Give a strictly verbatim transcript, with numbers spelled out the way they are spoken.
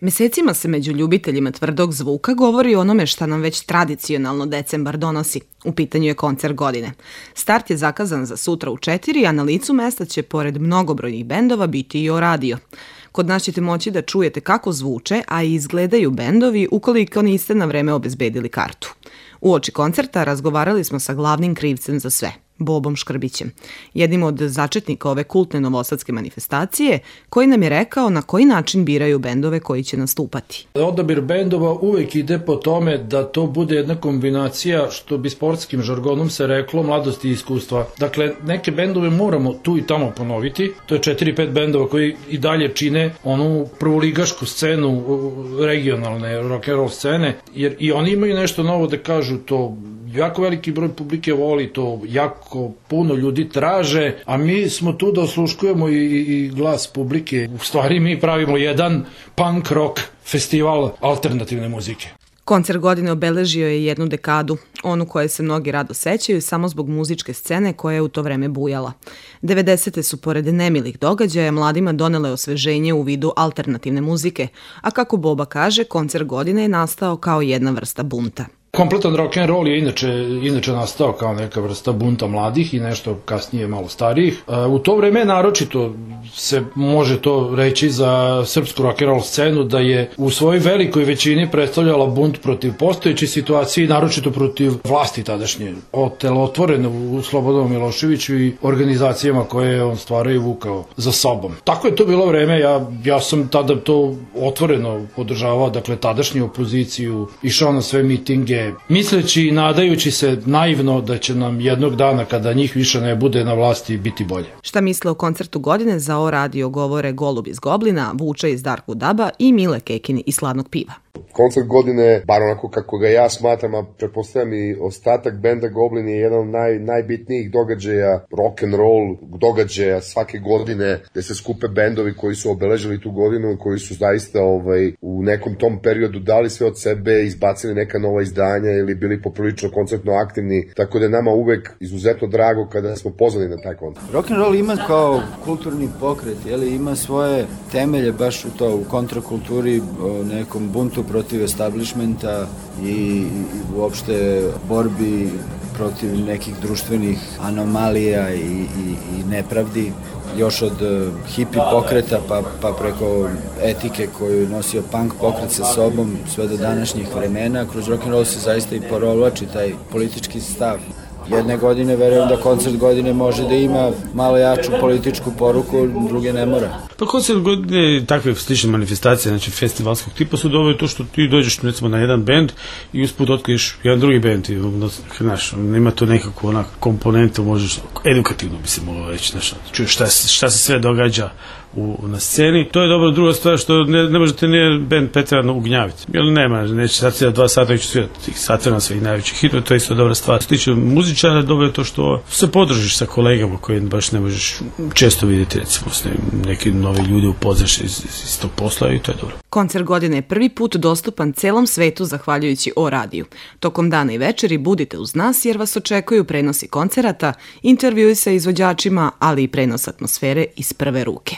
Mesecima se među ljubiteljima tvrdog zvuka govori o onome šta nam već tradicionalno decembar donosi. U pitanju je koncert godine. Start je zakazan za sutra u četiri, a na licu mesta će, pored mnogobrojnih bendova, biti i O radio. Kod nas ćete moći da čujete kako zvuče, a i izgledaju bendovi ukoliko niste na vreme obezbedili kartu. Uoči koncerta razgovarali smo sa glavnim krivcem za sve, Bobom Škrbićem, jednim od začetnika ove kultne novosadske manifestacije, koji nam je rekao na koji način biraju bendove koji će nastupati. Odabir bendova uvek ide po tome da to bude jedna kombinacija, što bi sportskim žargonom se reklo, mladosti i iskustva. Dakle, neke bendove moramo tu i tamo ponoviti. To je četiri pet bendova koji i dalje čine onu prvoligašku scenu regionalne rock'n'roll scene, jer i oni imaju nešto novo da kažu. To jako veliki broj publike voli, to jako puno ljudi traže, a mi smo tu da osluškujemo i, i glas publike. U stvari mi pravimo jedan punk rock festival alternativne muzike. Koncert godine obeležio je jednu dekadu, onu koje se mnogi rado sećaju samo zbog muzičke scene koja je u to vreme bujala. devedesete su pored nemilih događaja mladima donele osveženje u vidu alternativne muzike, a kako Boba kaže, koncert godine je nastao kao jedna vrsta bunta. Kompletan rock'n'roll je inače, inače nastao kao neka vrsta bunta mladih i nešto kasnije malo starijih. U to vreme naročito se može to reći za srpsku rock'n'roll scenu da je u svojoj velikoj većini predstavljala bunt protiv postojeće situacije i naročito protiv vlasti tadašnje. Otelotvoreno u Slobodanu Miloševiću i organizacijama koje je on stvarao i vukao za sobom. Tako je to bilo vreme, ja, ja sam tada to otvoreno podržavao, dakle tadašnju opoziciju, išao na sve mitinge, misleći i nadajući se naivno da će nam jednog dana kada njih više ne bude na vlasti biti bolje. Šta misle o koncertu godine za O radio govore Golub iz Goblina, Vuča iz Darku Daba i Mile Kekin iz Sladnog piva. Koncert godine, bar onako kako ga ja smatram, a pretpostavljam i ostatak benda Goblin, je jedan od naj, najbitnijih događaja, rock and roll događaja svake godine, gde se skupe bendovi koji su obeležili tu godinu, koji su zaista ovaj, u nekom tom periodu dali sve od sebe, izbacili neka nova izdanja ili bili poprilično koncertno aktivni, tako da je nama uvek izuzetno drago kada smo pozvani na taj koncert. Rock and roll ima kao kulturni pokret, jeli, ima svoje temelje baš u to, u kontrakulturi, o nekom buntu protiv establishmenta i, i uopšte borbi protiv nekih društvenih anomalija i, i, i nepravdi, još od uh, hipi pokreta pa, pa preko etike koju je nosio punk pokret sa sobom sve do današnjih vremena. Kroz rock'n'roll se zaista i porovlači taj politički stav. Jedne godine verujem da koncert godine može da ima malo jaču političku poruku, druge ne mora. Pa koncert godine i takve slične manifestacije, znači festivalskog tipa, su dovoljno to što ti dođeš recimo na jedan bend i usput otkriješ jedan drugi bend i znaš, ima to nekako onak komponentu, možeš, edukativno bi se moglo reći, znaš, čuješ šta, šta se sve događa u, na sceni. To je dobro. Druga stvar što ne, ne možete nije band preterano ugnjaviti. Jer nema, neće sad svirati dva sata, neće svirati sat vremena svih najvećih hitova, to je isto dobra stvar. Što se tiče muzičara, dobro je to što se podružiš sa kolegama koji baš ne možeš često vidjeti, recimo s neki novi ljudi upoznaš iz, iz tog posla i to je dobro. Koncert godine je prvi put dostupan celom svetu zahvaljujući O radiju. Tokom dana i večeri budite uz nas jer vas očekuju prenosi koncerata, intervjui sa izvođačima, ali i prenos atmosfere iz prve ruke.